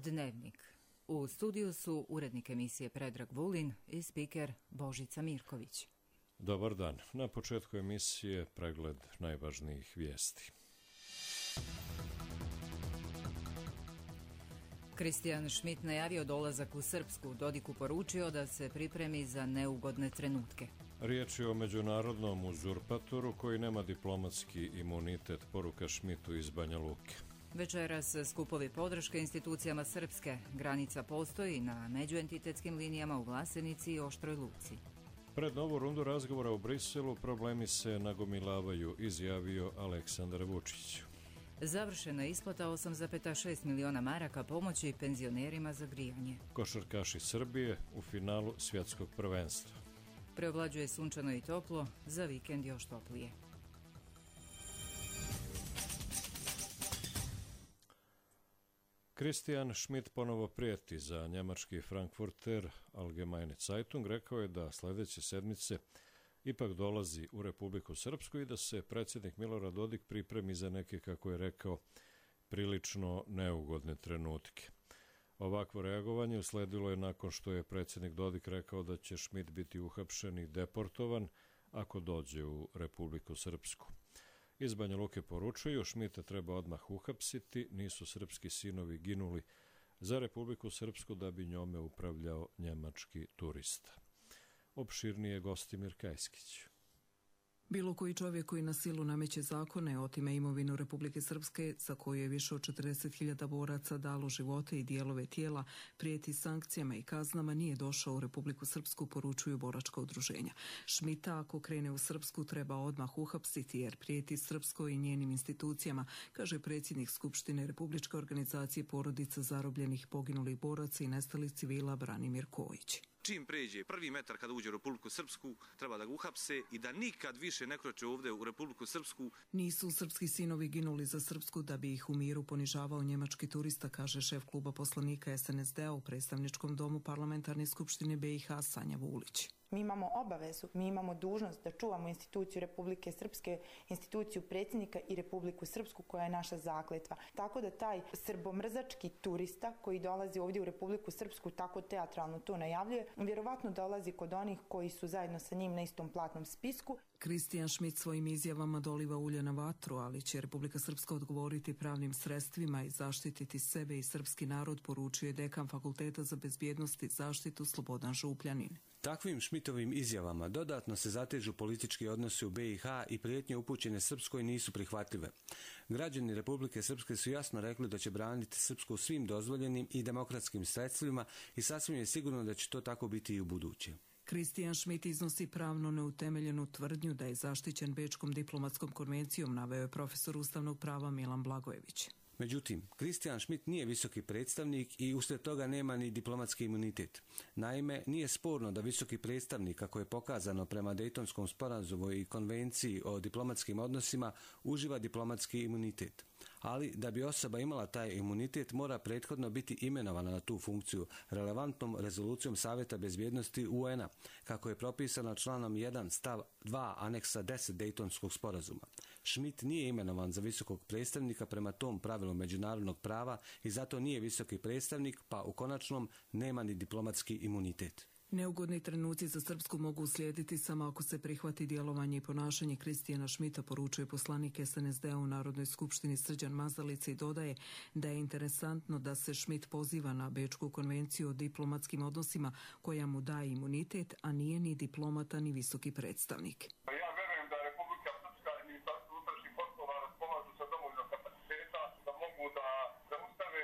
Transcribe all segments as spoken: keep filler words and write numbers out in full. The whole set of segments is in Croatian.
Dnevnik. U studiju su urednik emisije Predrag Vulin i spiker Božica Mirković. Dobar dan. Na početku emisije pregled najvažnijih vijesti. Kristijan Šmit najavio dolazak u Srpsku, Dodiku poručio da se pripremi za neugodne trenutke. Riječ je o međunarodnom uzurpatoru koji nema diplomatski imunitet, poruka Šmitu iz Banja Luke. Večeras skupovi podrške institucijama Srpske. Granica postoji na međuentitetskim linijama u Vlasenici i Oštroj Luci. Pred novu rundu razgovora u Briselu problemi se nagomilavaju, izjavio Aleksandar Vučić. Završena isplata osam zarez šest miliona maraka pomoći penzionerima za grijanje. Košarkaši Srbije u finalu svjetskog prvenstva. Preovlađuje sunčano i toplo, za vikend još toplije. Kristijan Šmit ponovo prijeti. Za njemački Frankfurter Allgemeine Zeitung rekao je da sljedeće sedmice ipak dolazi u Republiku Srpsku i da se predsjednik Milorad Dodik pripremi za neke, kako je rekao, prilično neugodne trenutke. Ovakvo reagovanje usledilo je nakon što je predsjednik Dodik rekao da će Šmit biti uhapšen i deportovan ako dođe u Republiku Srpsku. Iz Banja Luke poručuju, Šmita treba odmah uhapsiti, nisu srpski sinovi ginuli za Republiku Srpsku da bi njome upravljao njemački turista. Opširnije Gostimir Kajskić. Bilo koji čovjek koji na silu nameće zakone, otime imovinu Republike Srpske, za koju je više od četrdeset hiljada boraca dalo živote i dijelove tijela, prijeti sankcijama i kaznama, nije došao u Republiku Srpsku, poručuju boračka udruženja. Šmita, ako krene u Srpsku, treba odmah uhapsiti jer prijeti Srpskoj i njenim institucijama, kaže predsjednik Skupštine Republičke organizacije porodica zarobljenih poginulih boraca i nestalih civila Branimir Kojić. Čim pređe prvi metar kada uđe u Republiku Srpsku, treba da ga uhapse i da nikad više ne kroče ovdje u Republiku Srpsku. Nisu srpski sinovi ginuli za Srpsku da bi ih u miru ponižavao njemački turista, kaže šef kluba poslanika S N S D-a u predstavničkom domu Parlamentarne skupštine B i H Sanja Vulić. Mi imamo obavezu, mi imamo dužnost da čuvamo instituciju Republike Srpske, instituciju predsjednika i Republiku Srpsku koja je naša zakletva. Tako da taj srbomrzački turista koji dolazi ovdje u Republiku Srpsku tako teatralno to najavljuje, vjerovatno dolazi kod onih koji su zajedno sa njim na istom platnom spisku. Kristijan Šmit svojim izjavama doliva ulje na vatru, ali će Republika Srpska odgovoriti pravnim sredstvima i zaštititi sebe i srpski narod, poručuje dekan Fakulteta za bezbjednost i zaštitu Slobodan Župljanin. Takvim Šmitovim izjavama dodatno se zatežu politički odnosi u B i H i prijetnje upućene Srpskoj nisu prihvatljive. Građani Republike Srpske su jasno rekli da će braniti Srpsku svim dozvoljenim i demokratskim sredstvima i sasvim je sigurno da će to tako biti i u buduće. Kristijan Šmit iznosi pravno neutemeljenu tvrdnju da je zaštićen Bečkom diplomatskom konvencijom, naveo je profesor ustavnog prava Milan Blagojević. Međutim, Kristijan Šmit nije visoki predstavnik i uslijed toga nema ni diplomatski imunitet. Naime, nije sporno da visoki predstavnik, kako je pokazano prema Dejtonskom sporazumu i konvenciji o diplomatskim odnosima, uživa diplomatski imunitet. Ali da bi osoba imala taj imunitet mora prethodno biti imenovana na tu funkciju relevantnom rezolucijom Savjeta bezbjednosti U N-a, kako je propisano članom jedan stav dva aneksa deset Dejtonskog sporazuma. Šmit nije imenovan za visokog predstavnika prema tom pravilu međunarodnog prava i zato nije visoki predstavnik, pa u konačnom nema ni diplomatski imunitet. Neugodni trenuci za Srpsku mogu uslijediti samo ako se prihvati djelovanje i ponašanje Kristijana Šmita, poručuje poslanik S N S D-a u Narodnoj skupštini Srđan Mazalica i dodaje da je interesantno da se Šmit poziva na Bečku konvenciju o diplomatskim odnosima koja mu daje imunitet, a nije ni diplomata ni visoki predstavnik. Ja verujem da Republika Srpska i Ministarstvo unutrašnjih poslova raspolažu sa dovoljno kapaciteta da mogu da zaustave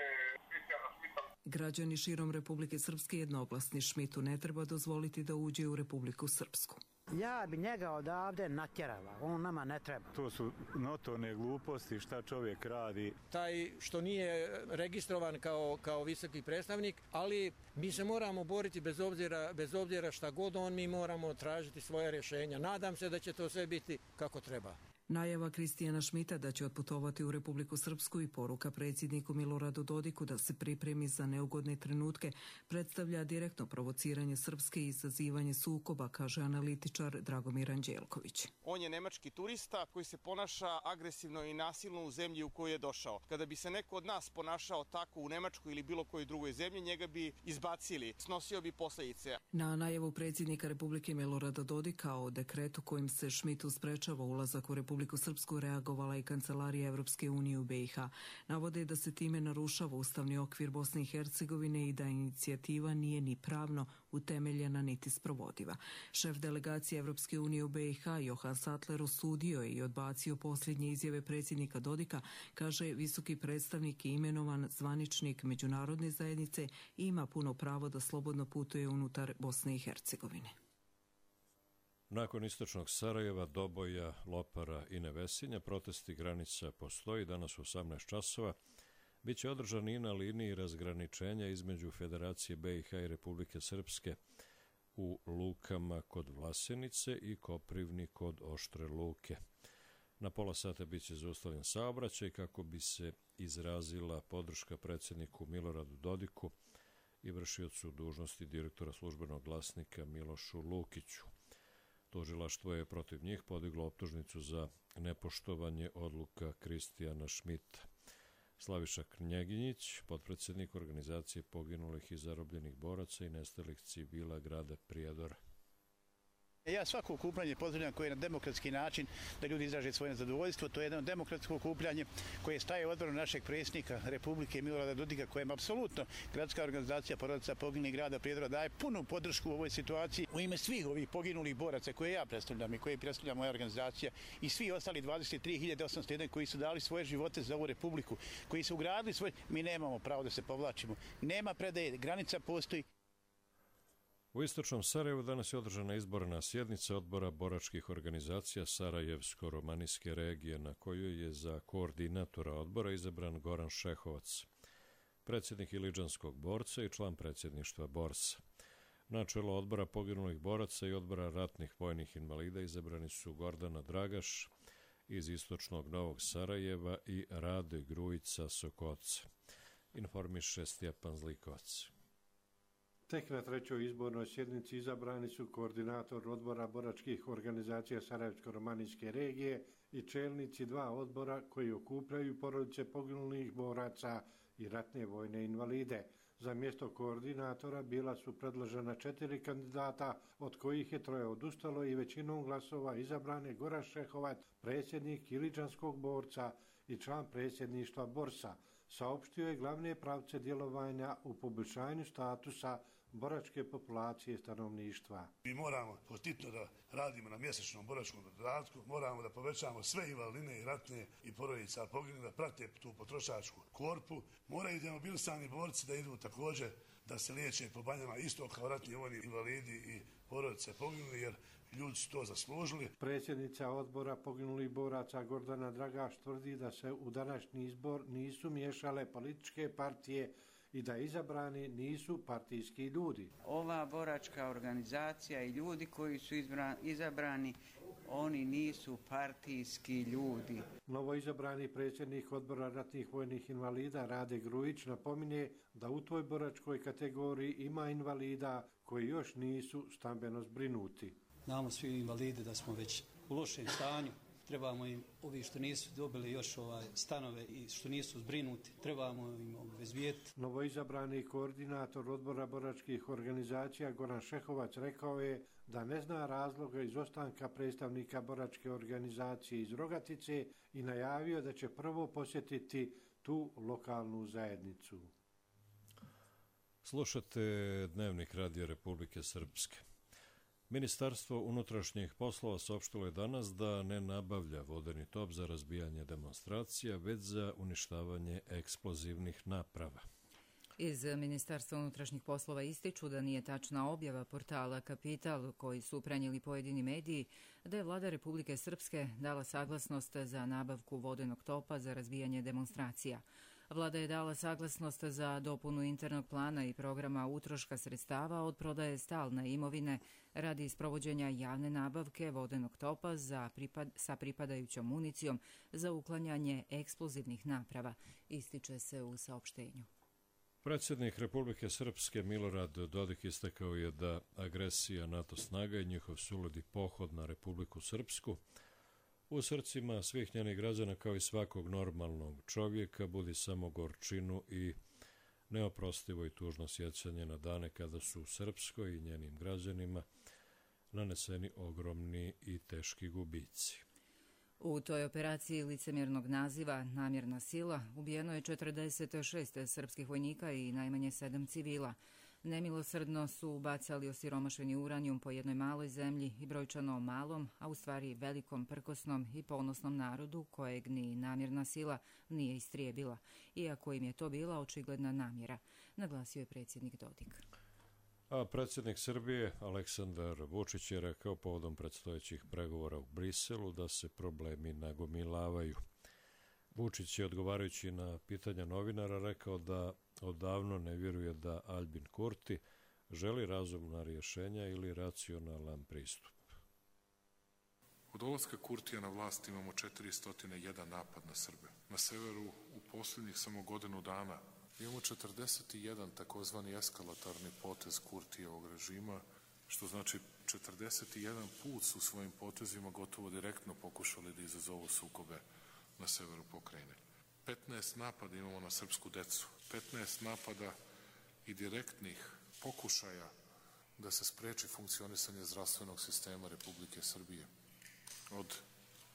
Kristijana Šmita. Građani širom Republike Srpske jednoglasni, Šmitu ne treba dozvoliti da uđe u Republiku Srpsku. Ja bi njega odavde natjerala, on nama ne treba. To su notorne gluposti šta čovjek radi. Taj što nije registrovan kao, kao visoki predstavnik, ali mi se moramo boriti bez obzira, bez obzira šta god on, mi moramo tražiti svoje rješenja. Nadam se da će to sve biti kako treba. Najava Kristijana Šmita da će otputovati u Republiku Srpsku i poruka predsjedniku Miloradu Dodiku da se pripremi za neugodne trenutke predstavlja direktno provociranje Srpske i izazivanje sukoba, kaže analitičar Dragomir Anđelković. On je nemački turista koji se ponaša agresivno i nasilno u zemlji u koju je došao. Kada bi se neko od nas ponašao tako u Nemačkoj ili bilo kojoj drugoj zemlji, njega bi izbacili, snosio bi posljedice. Na najavu predsjednika Republike Milorada Dodika o dekretu kojim se Šmitu sprečava ulazak u Republiku Republiku Srpsku reagovala i Kancelarija Evropske unije u B i H. Navode da se time narušava ustavni okvir Bosne i Hercegovine i da inicijativa nije ni pravno utemeljena niti sprovodiva. Šef delegacije Evropske unije u B i H Johan Sattler osudio je i odbacio posljednje izjave predsjednika Dodika, kaže visoki predstavnik i imenovan zvaničnik međunarodne zajednice i ima puno pravo da slobodno putuje unutar Bosne i Hercegovine. Nakon istočnog Sarajeva, Doboja, Lopara i Nevesinja, protesti granica postoji danas u osamnaest časova. Biće održan i na liniji razgraničenja između Federacije B i H i Republike Srpske u Lukama kod Vlasenice i Koprivni kod Oštre Luke. Na pola sata biće zaustavljen saobraćaj kako bi se izrazila podrška predsjedniku Miloradu Dodiku i vršiocu dužnosti direktora službenog glasnika Milošu Lukiću. Tužilaštvo je protiv njih podiglo optužnicu za nepoštovanje odluka Kristijana Šmita. Slaviša Knjeginjić, potpredsjednik organizacije poginulih i zarobljenih boraca i nestalih civila grada Prijedora. Ja svako okupljanje pozdravljam koje je na demokratski način da ljudi izraže svoje zadovoljstvo. To je jedno demokratsko okupljanje koje staje u odbranu našeg predsjednika Republike Milorada Dodika, kojem apsolutno gradska organizacija porodica poginulih grada Prijedora daje punu podršku u ovoj situaciji. U ime svih ovih poginulih boraca koje ja predstavljam i koje predstavlja moja organizacija i svi ostali dvadeset tri hiljade osamsto jedan koji su dali svoje živote za ovu republiku, koji su ugradili svoje, mi nemamo pravo da se povlačimo. Nema predaje, granica postoji. U istočnom Sarajevu danas je održana izborna sjednica odbora boračkih organizacija Sarajevsko-romanijske regije, na kojoj je za koordinatora odbora izabran Goran Šehovac, predsjednik Iliđanskog borca i član predsjedništva borsa. Na čelo odbora poginulih boraca i odbora ratnih vojnih invalida izabrani su Gordana Dragaš iz istočnog Novog Sarajeva i Rade Grujica Sokoca. Informiše Stjepan Zlikovac. Tek na trećoj izbornoj sjednici izabrani su koordinator odbora boračkih organizacija Sarajevsko-romanijske regije i čelnici dva odbora koji okupljaju porodice poginulih boraca i ratne vojne invalide. Za mjesto koordinatora bila su predložena četiri kandidata, od kojih je troje odustalo i većinom glasova izabrane Goran Šehovac, predsjednik Iliđanskog borca i član predsjedništva borsa. Saopštio je glavne pravce djelovanja u poboljšanju statusa boračke populacije stanovništva. Mi moramo postitno da radimo na mjesečnom boračkom dodatku, moramo da povećamo sve invalidne i ratne i porodica poginulih da prate tu potrošačku korpu. Moraju demobilisani borci da idu također da se liječe po banjama isto kao ratni vojni invalidi i porodice poginuli, jer ljudi su to zaslužili. Predsjednica odbora poginulih boraca Gordana Dragaš tvrdi da se u današnji izbor nisu miješale političke partije i da izabrani nisu partijski ljudi. Ova boračka organizacija i ljudi koji su izabrani, oni nisu partijski ljudi. Novo izabrani predsjednik odbora ratnih vojnih invalida Rade Grujić napominje da u toj boračkoj kategoriji ima invalida koji još nisu stambeno zbrinuti. Znamo svi invalidi da smo već u lošem stanju. Trebamo im, ovi što nisu dobili još ovaj stanove i što nisu zbrinuti, trebamo im obezbijeti. Novoizabrani koordinator odbora boračkih organizacija Goran Šehovac rekao je da ne zna razloga izostanka predstavnika boračke organizacije iz Rogatice i najavio da će prvo posjetiti tu lokalnu zajednicu. Slušate Dnevnik Radio Republike Srpske. Ministarstvo unutrašnjih poslova saopštilo je danas da ne nabavlja vodeni top za razbijanje demonstracija, već za uništavanje eksplozivnih naprava. Iz Ministarstva unutrašnjih poslova ističu da nije tačna objava portala Kapital koji su prenijeli pojedini mediji da je vlada Republike Srpske dala saglasnost za nabavku vodenog topa za razbijanje demonstracija. Vlada je dala saglasnost za dopunu internog plana i programa utroška sredstava od prodaje stalne imovine radi sprovođenja javne nabavke vodenog topa za pripad, sa pripadajućom municijom za uklanjanje eksplozivnih naprava, ističe se u saopštenju. Predsjednik Republike Srpske Milorad Dodik istakao je da agresija NATO snaga i njihov suludi pohod na Republiku Srpsku u srcima svih njenih građana kao i svakog normalnog čovjeka budi samo gorčinu i neoprostivo i tužno sjećanje na dane kada su u Srpskoj i njenim građanima naneseni ogromni i teški gubici. U toj operaciji licemjernog naziva Namjerna sila ubijeno je četrdeset šest srpskih vojnika i najmanje sedam civila. Nemilosrdno su bacali osiromašeni uranijum po jednoj maloj zemlji i brojčano malom, a u stvari velikom, prkosnom i ponosnom narodu kojeg ni namjerna sila nije istrijebila, iako im je to bila očigledna namjera, naglasio je predsjednik Dodik. A predsjednik Srbije Aleksandar Vučić je rekao povodom predstojećih pregovora u Briselu da se problemi nagomilavaju. Vučić je odgovarajući na pitanja novinara rekao da odavno ne vjeruje da Albin Kurti želi razumna rješenja ili racionalan pristup. Od dolaska Kurtija na vlast imamo četiristo jedan napad na Srbe. Na severu u posljednjih samo godinu dana imamo četrdeset jedan takozvani eskalatorni potez Kurtijevog režima, što znači četrdeset jedan put su svojim potezima gotovo direktno pokušali da izazovu sukobe na severu pokrajine. petnaest napada imamo na srpsku decu, petnaest napada i direktnih pokušaja da se spreči funkcionisanje zdravstvenog sistema Republike Srbije. Od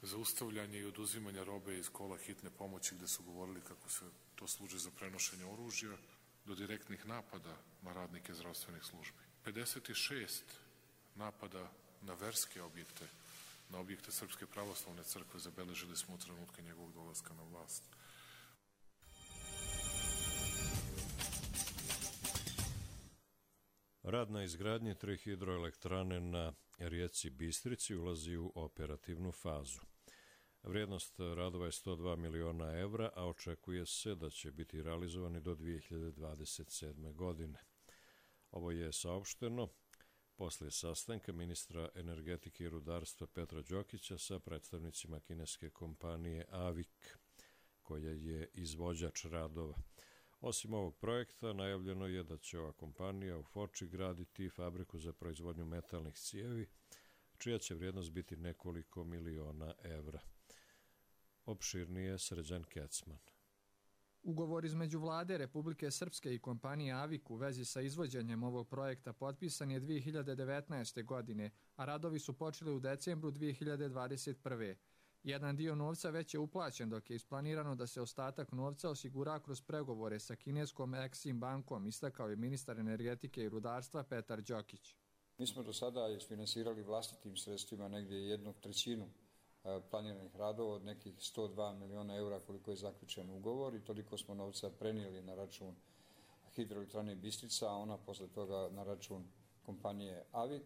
zaustavljanja i oduzimanja robe iz kola hitne pomoći gde su govorili kako se to služi za prenošenje oružja, do direktnih napada na radnike zdravstvenih službi. pedeset šest napada na verske objekte, na objekte Srpske pravoslavne crkve zabeležili smo u trenutka njegovog dolaska na vlast. Rad na izgradnji tri hidroelektrane na rijeci Bistrici ulazi u operativnu fazu. Vrijednost radova je sto dva miliona evra, a očekuje se da će biti realizovani do dvije hiljade dvadeset sedme. godine. Ovo je saopšteno poslije sastanka ministra energetike i rudarstva Petra Đokića sa predstavnicima kineske kompanije Avik, koja je izvođač radova. Osim ovog projekta, najavljeno je da će ova kompanija u Foči graditi fabriku za proizvodnju metalnih cijevi, čija će vrijednost biti nekoliko miliona evra. Opširnije Srđan Kecman. Ugovor između vlade Republike Srpske i kompanije Avik u vezi sa izvođenjem ovog projekta potpisan je dvije hiljade devetnaeste. godine, a radovi su počeli u decembru dvije hiljade dvadeset prve. Jedan dio novca već je uplaćen, dok je isplanirano da se ostatak novca osigura kroz pregovore sa kineskom Exim bankom, istakao je ministar energetike i rudarstva Petar Đokić. Mi smo do sada isfinansirali vlastitim sredstvima negdje jednu trećinu planiranih radova od nekih sto dva miliona eura koliko je zaključen ugovor i toliko smo novca prenijeli na račun hidroelektrane Bistrica, a ona posle toga na račun kompanije Avik.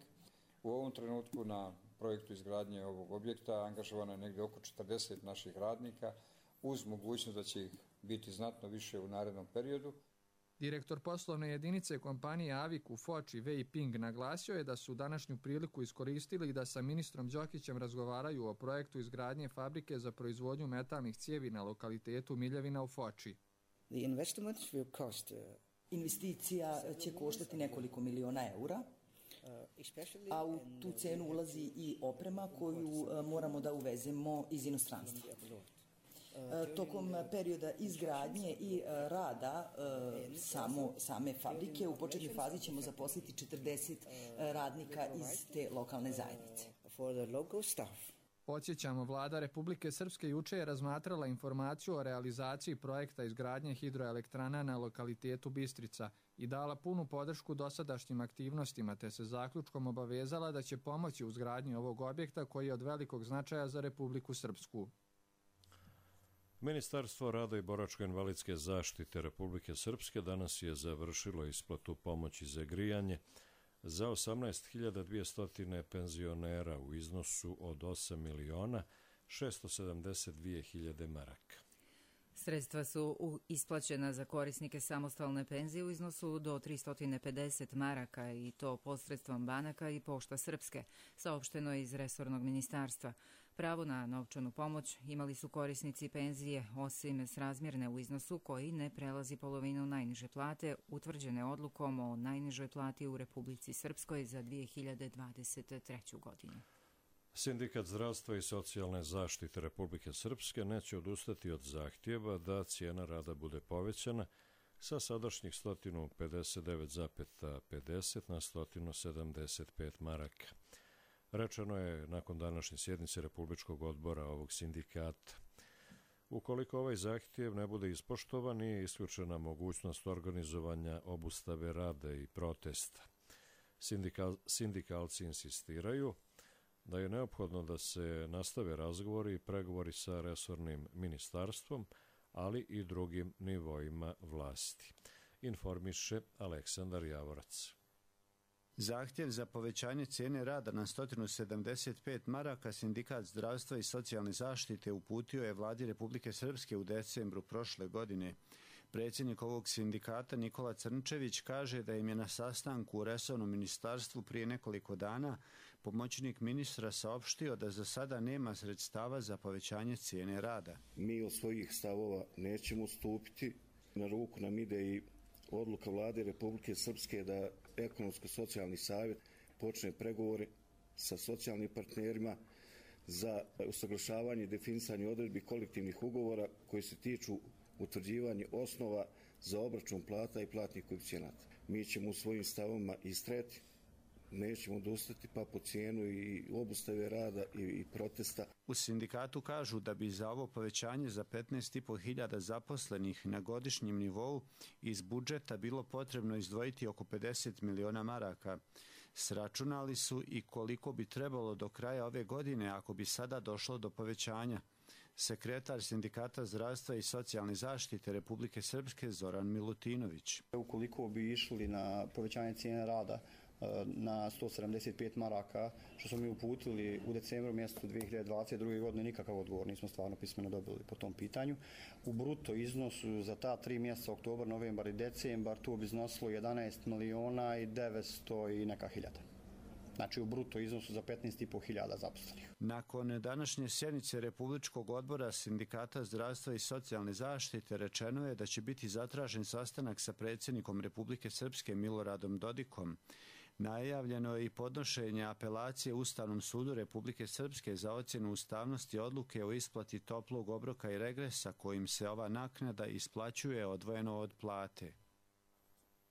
U ovom trenutku na projektu izgradnje ovog objekta angažovano je negdje oko četrdeset naših radnika uz mogućnost da će ih biti znatno više u narednom periodu. Direktor poslovne jedinice kompanije Avik u Foči Wei Ping naglasio je da su današnju priliku iskoristili i da sa ministrom Đokićem razgovaraju o projektu izgradnje fabrike za proizvodnju metalnih cijevi na lokalitetu Miljevina u Foči. Investicija će koštati nekoliko miliona eura, a u tu cenu ulazi i oprema koju moramo da uvezemo iz inostranstva. Tokom perioda izgradnje i rada samo, same fabrike u početnoj fazi ćemo zaposliti četrdeset radnika iz te lokalne zajednice. Podsjećamo, vlada Republike Srpske juče je razmatrala informaciju o realizaciji projekta izgradnje hidroelektrana na lokalitetu Bistrica i dala punu podršku dosadašnjim aktivnostima, te se zaključkom obavezala da će pomoći u izgradnji ovog objekta koji je od velikog značaja za Republiku Srpsku. Ministarstvo rada i boračko-invalidske zaštite Republike Srpske danas je završilo isplatu pomoći za grijanje za osamnaest hiljada dvjesto penzionera u iznosu od osam miliona šesto sedamdeset dvije hiljade maraka. Sredstva su isplaćena za korisnike samostalne penzije u iznosu do tristo pedeset maraka i to posredstvom banaka i Pošta Srpske, saopšteno je iz resornog ministarstva. Pravo na novčanu pomoć imali su korisnici penzije, osim srazmjerne u iznosu koji ne prelazi polovinu najniže plate, utvrđene odlukom o najnižoj plati u Republici Srpskoj za dvije hiljade dvadeset treću. godinu. Sindikat zdravstva i socijalne zaštite Republike Srpske neće odustati od zahtjeva da cijena rada bude povećana sa sadašnjih sto pedeset devet zarez pedeset na sto sedamdeset pet maraka. Rečeno je nakon današnje sjednice Republičkog odbora ovog sindikata. Ukoliko ovaj zahtjev ne bude ispoštovan, nije isključena mogućnost organizovanja obustave rada i protesta. Sindikal, sindikalci insistiraju da je neophodno da se nastave razgovori i pregovori sa resornim ministarstvom, ali i drugim nivoima vlasti. Informiše Aleksandar Javorac. Zahtjev za povećanje cijene rada na sto sedamdeset pet maraka Sindikat zdravstva i socijalne zaštite uputio je vladi Republike Srpske u decembru prošle godine. Predsjednik ovog sindikata Nikola Crnčević kaže da im je na sastanku u resornom ministarstvu prije nekoliko dana pomoćnik ministra saopštio da za sada nema sredstava za povećanje cijene rada. Mi od svojih stavova nećemo ustupiti. Na ruku nam ide i odluka vlade Republike Srpske da ekonomsko-socijalni savjet počne pregovore sa socijalnim partnerima za usaglašavanje i definisanje odredbi kolektivnih ugovora koji se tiču utvrđivanja osnova za obračun plata i platnih koeficijenata. Mi ćemo u svojim stavovima istrajati, nećemo odustati pa po cijenu i obustave rada i, i protesta. U sindikatu kažu da bi za ovo povećanje za petnaest i po hiljada zaposlenih na godišnjem nivou iz budžeta bilo potrebno izdvojiti oko pedeset miliona maraka. Sračunali su i koliko bi trebalo do kraja ove godine ako bi sada došlo do povećanja. Sekretar Sindikata zdravstva i socijalne zaštite Republike Srpske Zoran Milutinović. Ukoliko bi išli na povećanje cijene rada na sto sedamdeset pet maraka, što smo mi uputili u decembru mjesecu dvije hiljade dvadeset druge. godine, nikakav odgovor nismo stvarno pismeno dobili po tom pitanju. U bruto iznosu za ta tri mjeseca, oktobar, novembar i decembar, to bi iznosilo jedanaest miliona i devetsto i neka hiljada. Znači u bruto iznosu za petnaest i po hiljada zaposlenih. Nakon današnje sjednice Republičkog odbora Sindikata zdravstva i socijalne zaštite rečeno je da će biti zatražen sastanak sa predsjednikom Republike Srpske Miloradom Dodikom. Najavljeno je i podnošenje apelacije Ustavnom sudu Republike Srpske za ocjenu ustavnosti odluke o isplati toplog obroka i regresa kojim se ova naknada isplaćuje odvojeno od plate.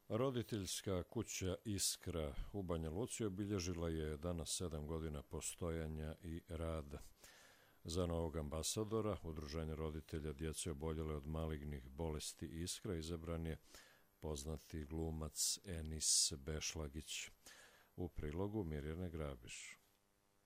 Roditeljska kuća Iskra u Banja Luci obilježila je danas sedam godina postojanja i rada. Za novog ambasadora Udruženja roditelja djece oboljele od malignih bolesti Iskra izabran je poznati glumac Enis Bešlagić. U prilogu Mirjane Grabiš.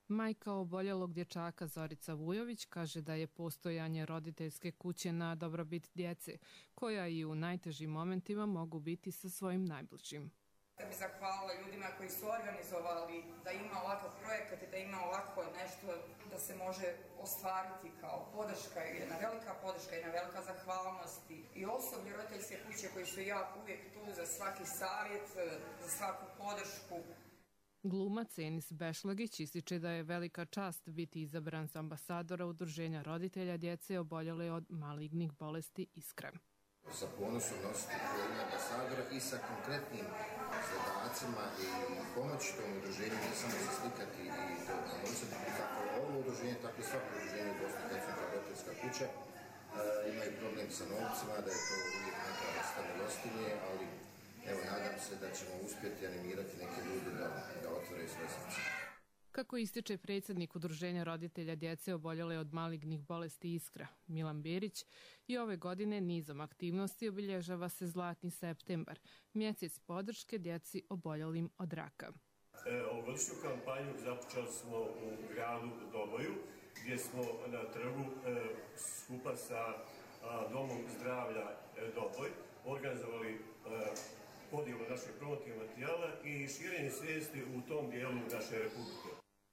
Majka oboljelog dječaka Zorica Vujović kaže da je postojanje roditeljske kuće na dobrobit djece, koja i u najtežim momentima mogu biti sa svojim najbližim. Da bi zahvalila ljudima koji su organizovali da ima ovakav projekat i da ima ovako nešto da se može ostvariti kao podrška, jedna velika podrška, jedna velika zahvalnost i osoblje roditeljske kuće koji su jako uvijek tu za svaki savjet, za svaku podršku. Glumac Enis Bešlagić ističe da je velika čast biti izabran za ambasadora Udruženja roditelja djece oboljele od malignih bolesti Iskra. Sa ponosom nositi ulogu ambasadora i sa konkretnim zadacima i pomoći tom udruženju, ne samo se slikati i donositi kako ovo udruženje, tako i svako udruženje u Bosni i Hercegovini roditeljska kuća. E, imaju problem sa novcima, da je to uvijek neka vrsta milostinje, ali evo, nadam se da ćemo uspjeti animirati neke ljude da, da otvore svoje srce. Kako ističe predsjednik Udruženja roditelja djece oboljele od malignih bolesti Iskra, Milan Berić, i ove godine nizom aktivnosti obilježava se Zlatni septembar, mjesec podrške djeci oboljelim od raka. E, ovogodišnju kampanju započeli smo u gradu Doboju, gdje smo na trgu e, skupa sa a, Domom zdravlja e, Doboj organizovali e, podijelu našeg promotivnog materijala i širenje svijesti u tom dijelu naše republike.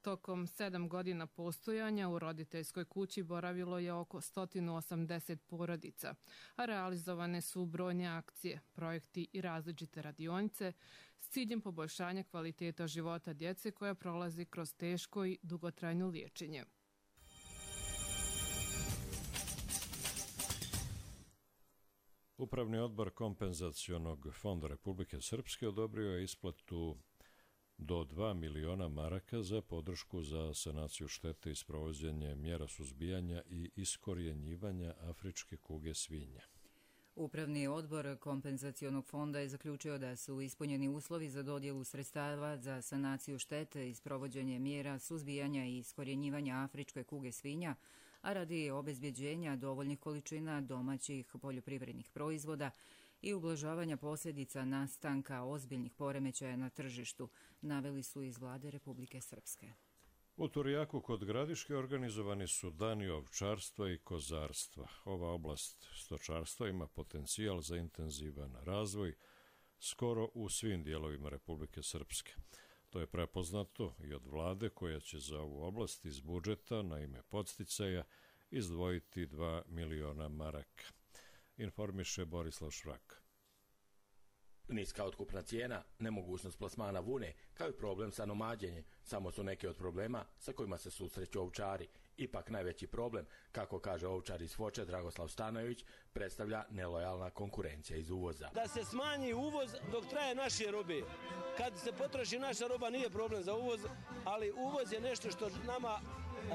Tokom sedam godina postojanja u roditeljskoj kući boravilo je oko sto osamdeset porodica, a realizovane su brojne akcije, projekti i različite radionice s ciljem poboljšanja kvaliteta života djece koja prolazi kroz teško i dugotrajno liječenje. Upravni odbor Kompenzacionog fonda Republike Srpske odobrio je isplatu do dva miliona maraka za podršku za sanaciju štete i sprovođenje mjera suzbijanja i iskorjenjivanja afričke kuge svinja. Upravni odbor Kompenzacionog fonda je zaključio da su ispunjeni uslovi za dodjelu sredstava za sanaciju štete i sprovođenje mjera suzbijanja i iskorjenjivanja afričke kuge svinja, a radi obezbjeđenja dovoljnih količina domaćih poljoprivrednih proizvoda i ublažavanja posljedica nastanka ozbiljnih poremećaja na tržištu, naveli su iz vlade Republike Srpske. U Turjaku kod Gradiške organizovani su dani ovčarstva i kozarstva. Ova oblast stočarstva ima potencijal za intenzivan razvoj skoro u svim dijelovima Republike Srpske. To je prepoznato i od vlade koja će za ovu oblast iz budžeta na ime podsticaja izdvojiti dva miliona maraka. Informiše Borislav Švrak. Niska otkupna cijena, nemogućnost plasmana vune, kao i problem sa nomađenjem, samo su neke od problema sa kojima se susreću ovčari. Ipak najveći problem, kako kaže ovčar iz Foče Dragoslav Stanojević, predstavlja nelojalna konkurencija iz uvoza. Da se smanji uvoz dok traje naše robe. Kad se potroši naša roba nije problem za uvoz, ali uvoz je nešto što nama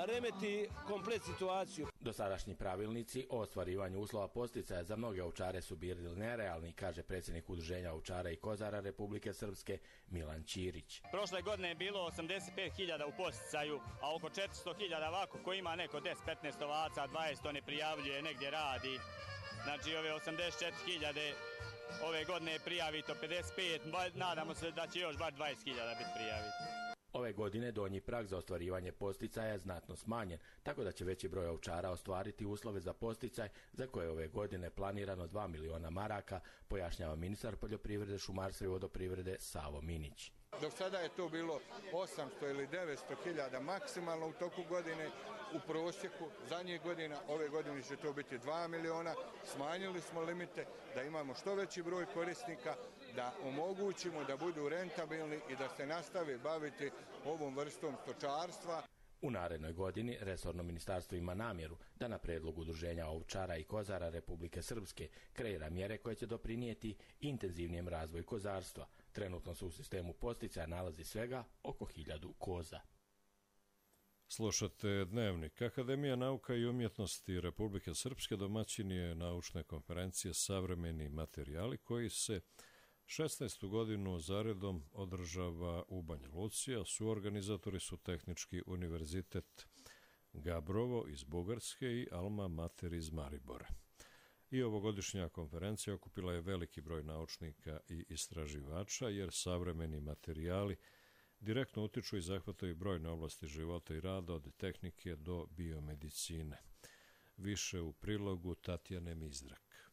remeti komplet situaciju. Dosadašnji pravilnici o ostvarivanju uslova podsticaja za mnoge ovčare su bili nerealni, kaže predsjednik Udruženja ovčara i kozara Republike Srpske Milan Ćirić. Prošle godine je bilo osamdeset pet hiljada u podsticaju, a oko četiristo hiljada ovako ko ima neko deset petnaest ovaca, dvadeset to ne prijavljuje, negdje radi. Znači ove osamdeset četiri hiljade ove godine je prijavito pedeset pet, nadamo se da će još bar dvadeset hiljada biti prijaviti. Ove godine donji prag za ostvarivanje podsticaja je znatno smanjen, tako da će veći broj ovčara ostvariti uslove za podsticaj za koje je ove godine planirano dva miliona maraka, pojašnjava ministar poljoprivrede, šumarstva i vodoprivrede Savo Minić. Do sada je to bilo osamsto ili devetsto hiljada maksimalno u toku godine, u prosjeku zadnjih godina, ove godine će to biti dva miliona, smanjili smo limite da imamo što veći broj korisnika, da omogućimo da budu rentabilni i da se nastave baviti ovom vrstom stočarstva. U narednoj godini resorno ministarstvo ima namjeru da na predlog Udruženja ovčara i kozara Republike Srpske kreira mjere koje će doprinijeti intenzivnijem razvoju kozarstva. Trenutno se u sistemu podsticaja nalazi svega oko hiljadu koza. Slušate Dnevnik. Akademija nauka i umjetnosti Republike Srpske domaćin je naučne konferencije Savremeni materijali koji se šesnaestu godinu zaredom održava u Banja Luci, a suorganizatori su Tehnički univerzitet Gabrovo iz Bugarske i Alma Mater iz Maribora. I ovogodišnja konferencija okupila je veliki broj naučnika i istraživača, jer savremeni materijali direktno utiču i zahvataju brojne oblasti života i rada, od tehnike do biomedicine. Više u prilogu Tatjane Mizrak.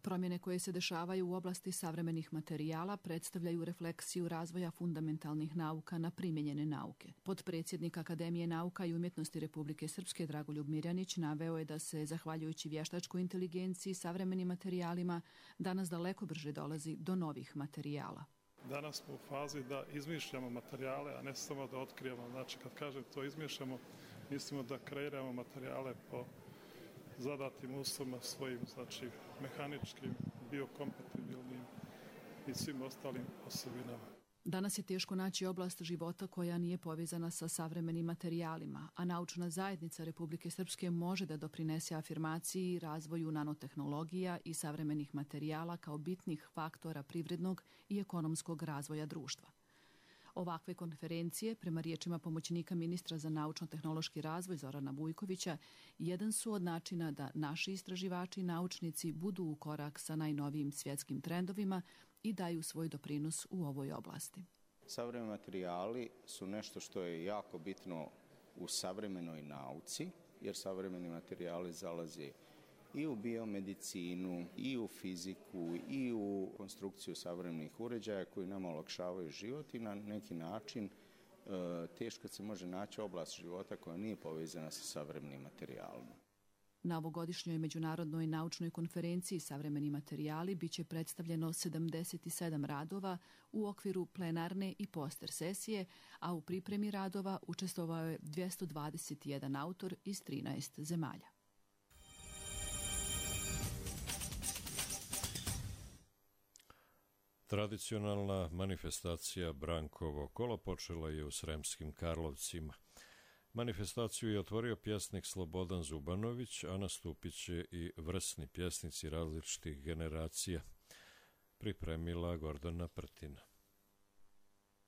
Promjene koje se dešavaju u oblasti savremenih materijala predstavljaju refleksiju razvoja fundamentalnih nauka na primjenjene nauke. Potpredsjednik Akademije nauka i umjetnosti Republike Srpske Dragoljub Mirjanić naveo je da se, zahvaljujući vještačkoj inteligenciji i savremenim materijalima, danas daleko brže dolazi do novih materijala. Danas smo u fazi da izmišljamo materijale, a ne samo da otkrijemo. Znači, kad kažem to izmišljamo, mislimo da kreiramo materijale po zadatim uslovima svojim, znači mehaničkim, biokompatibilnim i svim ostalim osobinama. Danas je teško naći oblast života koja nije povezana sa savremenim materijalima, a naučna zajednica Republike Srpske može da doprinese afirmaciji i razvoju nanotehnologija i savremenih materijala kao bitnih faktora privrednog i ekonomskog razvoja društva. Ovakve konferencije, prema riječima pomoćnika ministra za naučno-tehnološki razvoj Zorana Vujkovića, jedan su od načina da naši istraživači i naučnici budu u korak sa najnovijim svjetskim trendovima i daju svoj doprinos u ovoj oblasti. Savremeni materijali su nešto što je jako bitno u savremenoj nauci, jer savremeni materijali zalaze i u biomedicinu, i u fiziku, i u konstrukciju savremenih uređaja koji nam olakšavaju život i na neki način teško se može naći oblast života koja nije povezana sa savremenim materijalima. Na ovogodišnjoj međunarodnoj naučnoj konferenciji Savremeni materijali biće predstavljeno sedamdeset sedam radova u okviru plenarne i poster sesije, a u pripremi radova učestvovao je dvjesto dvadeset jedan autor iz trinaest zemalja. Tradicionalna manifestacija Brankovo kolo počela je u Sremskim Karlovcima. Manifestaciju je otvorio pjesnik Slobodan Zubanović, a nastupit će i vrsni pjesnici različitih generacija. Pripremila Gordana Prtina.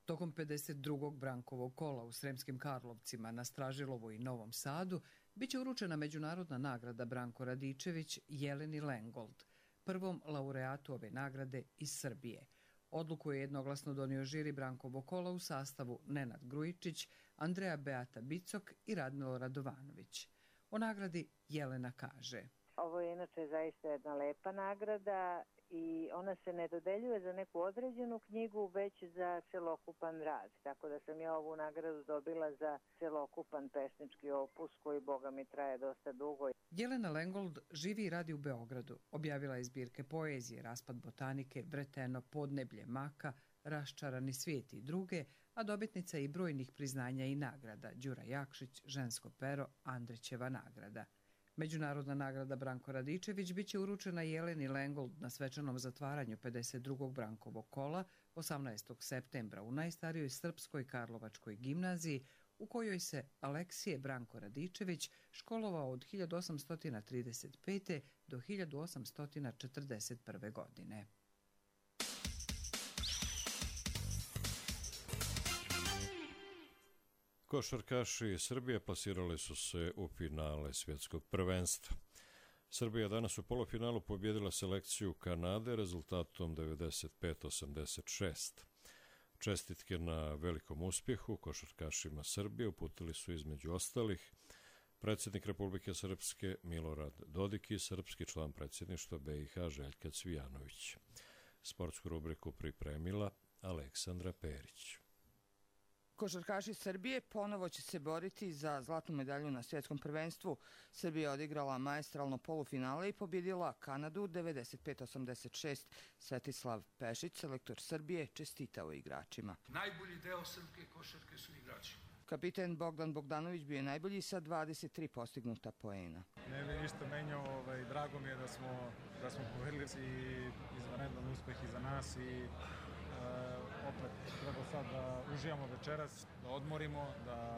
Tokom pedeset drugog Brankovog kola u Sremskim Karlovcima na Stražilovu i Novom Sadu biće uručena međunarodna nagrada Branko Radičević Jeleni Lengold, prvom laureatu ove nagrade iz Srbije. Odluku je jednoglasno donio žiri Brankovo kola u sastavu Nenad Grujičić, Andreja Beata Bicok i Radmilo Radovanović. O nagradi Jelena kaže: Ovo je inače zaista jedna lepa nagrada i ona se ne dodeljuje za neku određenu knjigu, već za celokupan rad. Tako da sam ja ovu nagradu dobila za celokupan pesnički opus koji, boga mi, traje dosta dugo. Jelena Lengold živi i radi u Beogradu. Objavila je zbirke poezije, Raspad botanike, Vreteno podneblje maka, Raščarani svijet i druge, a dobitnica i brojnih priznanja i nagrada: Đura Jakšić, Žensko pero, Andrićeva nagrada. Međunarodna nagrada Branko Radičević biće uručena Jeleni Lengold na svečanom zatvaranju pedeset drugog Brankovog kola osamnaestog septembra u najstarijoj srpskoj Karlovačkoj gimnaziji, u kojoj se Aleksije Branko Radičević školovao od hiljadu osamsto trideset pete. do hiljadu osamsto četrdeset prve. godine. Košarkaši Srbije plasirali su se u finale svjetskog prvenstva. Srbija danas u polufinalu pobjedila selekciju Kanade rezultatom devedeset pet osamdeset šest. Čestitke na velikom uspjehu košarkašima Srbije uputili su između ostalih predsjednik Republike Srpske Milorad Dodik i srpski član predsjedništva B i H Željka Cvijanović. Sportsku rubriku pripremila Aleksandra Perić. Košarkaši Srbije ponovo će se boriti za zlatnu medalju na svjetskom prvenstvu. Srbija odigrala maestralno polufinale i pobjedila Kanadu devedeset pet osamdeset šest. Svetislav Pešić, selektor Srbije, čestitao igračima. Najbolji deo srpske košarke su igrači. Kapiten Bogdan Bogdanović bio je najbolji sa dvadeset tri postignuta poena. Ne bi ništa menjao, ovaj, drago mi je da smo, da smo povedali i izvanredan uspeh i za nas i opet treba sad da uživamo večeras, da odmorimo, da,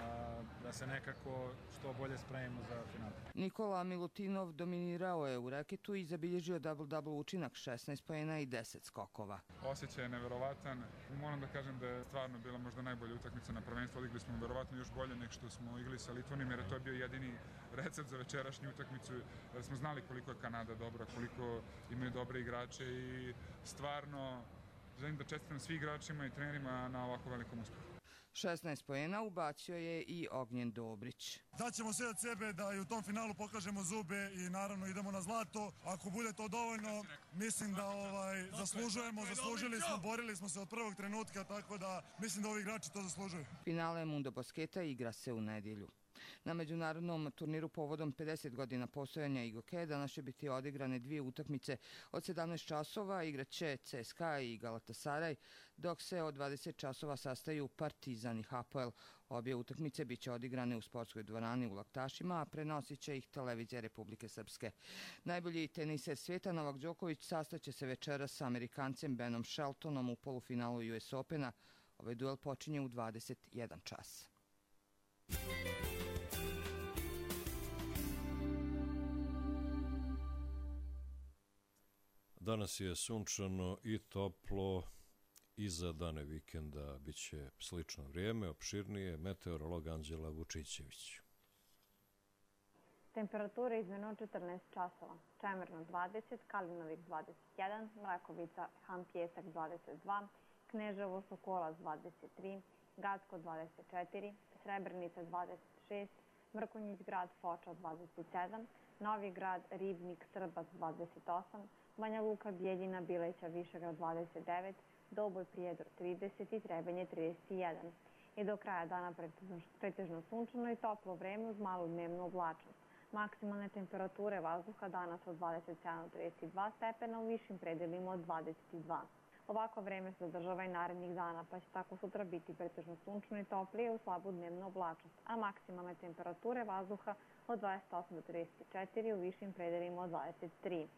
da se nekako što bolje spremimo za final. Nikola Milutinov dominirao je u reketu i zabilježio double-double učinak, šesnaest poena i deset skokova. Osjećaj je neverovatan. Moram da kažem da je stvarno bila možda najbolja utakmica na prvenstvu. Odigli smo verovatno još bolje nego što smo igrali sa Litvanijom, jer je to bio jedini recept za večerašnju utakmicu. Jer smo znali koliko je Kanada dobra, koliko imaju dobre igrače i stvarno želim da čestitam svi igračima i trenerima na ovako velikom uspehu. šesnaest poena ubacio je i Ognjen Dobrić. Daćemo sve od sebe da i u tom finalu pokažemo zube i naravno idemo na zlato. Ako bude to dovoljno, mislim da ovaj, zaslužujemo, zaslužili smo, borili smo se od prvog trenutka, tako da mislim da ovi igrači to zaslužuju. Finale Mundo Basketa igra se u nedjelju. Na međunarodnom turniru povodom pedeset godina postojanja I G O K-a danas će biti odigrane dvije utakmice. Od sedamnaest časova igraće C S K A i Galatasaraj, dok se od dvadeset časova sastaju Partizan i Hapoel. Obje utakmice biće odigrane u sportskoj dvorani u Laktašima, a prenosit će ih televizija Republike Srpske. Najbolji teniser svijeta Novak Đoković sastaće se večeras sa Amerikancem Benom Sheltonom u polufinalu U S Opena. Ovaj duel počinje u dvadeset jedan čas. Danas je sunčano i toplo, iza dane vikenda bit će slično vrijeme, opširnije, meteorolog Anđela Vučićević. Temperatura izmjena četrnaest časova, Čemerno dvadeset, Kalinovik dvadeset jedan, Mrakovica, Han Pjesak dvadeset dva, Kneževo Sokolac dvadeset tri, Gacko dvadeset četiri, Srebrenica dvadeset šest, Mrkonjić grad Foča dvadeset sedam, Novi grad Ribnik Srbac dvadeset osam, Banja Luka, Bijeljina, Bileća, Višegrad dvadeset devet, Doboj, Prijedor trideset i Trebinje trideset jedan. i do kraja dana pretežno sunčano i toplo vreme uz malu dnevnu oblačnost. Maksimalne temperature vazduha danas od dvadeset sedam do trideset dva stepena, u višim predelima od dvadeset dva. Ovako vreme se zadržava i narednih dana, pa će tako sutra biti pretežno sunčano i toplije uz slabu dnevnu oblačnost, a maksimalne temperature vazduha od dvadeset osam do trideset četiri, u višim predelima od dvadeset tri.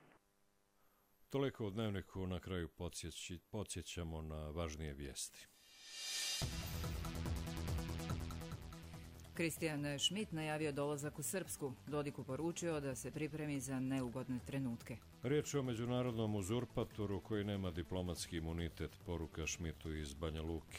Toliko u Dnevniku, na kraju podsjećamo na važnije vijesti. Kristijan Šmit najavio dolazak u Srpsku. Dodiku poručio da se pripremi za neugodne trenutke. Riječ je o međunarodnom uzurpatoru koji nema diplomatski imunitet, poruka Šmitu iz Banja Luke.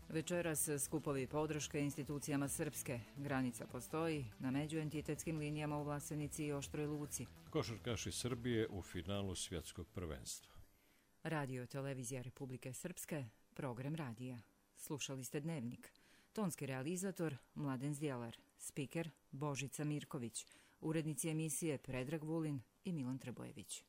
Večeras skupovi podrške institucijama Srpske. Granica postoji na međuentitetskim linijama u Vlasenici i Oštroj Luci. Košarkaši Srbije u finalu svjetskog prvenstva. Radio Televizija Republike Srpske, program radija. Slušali ste Dnevnik. Tonski realizator Mladen Zdjelar, spiker Božica Mirković, urednici emisije Predrag Vulin i Milan Trbojević.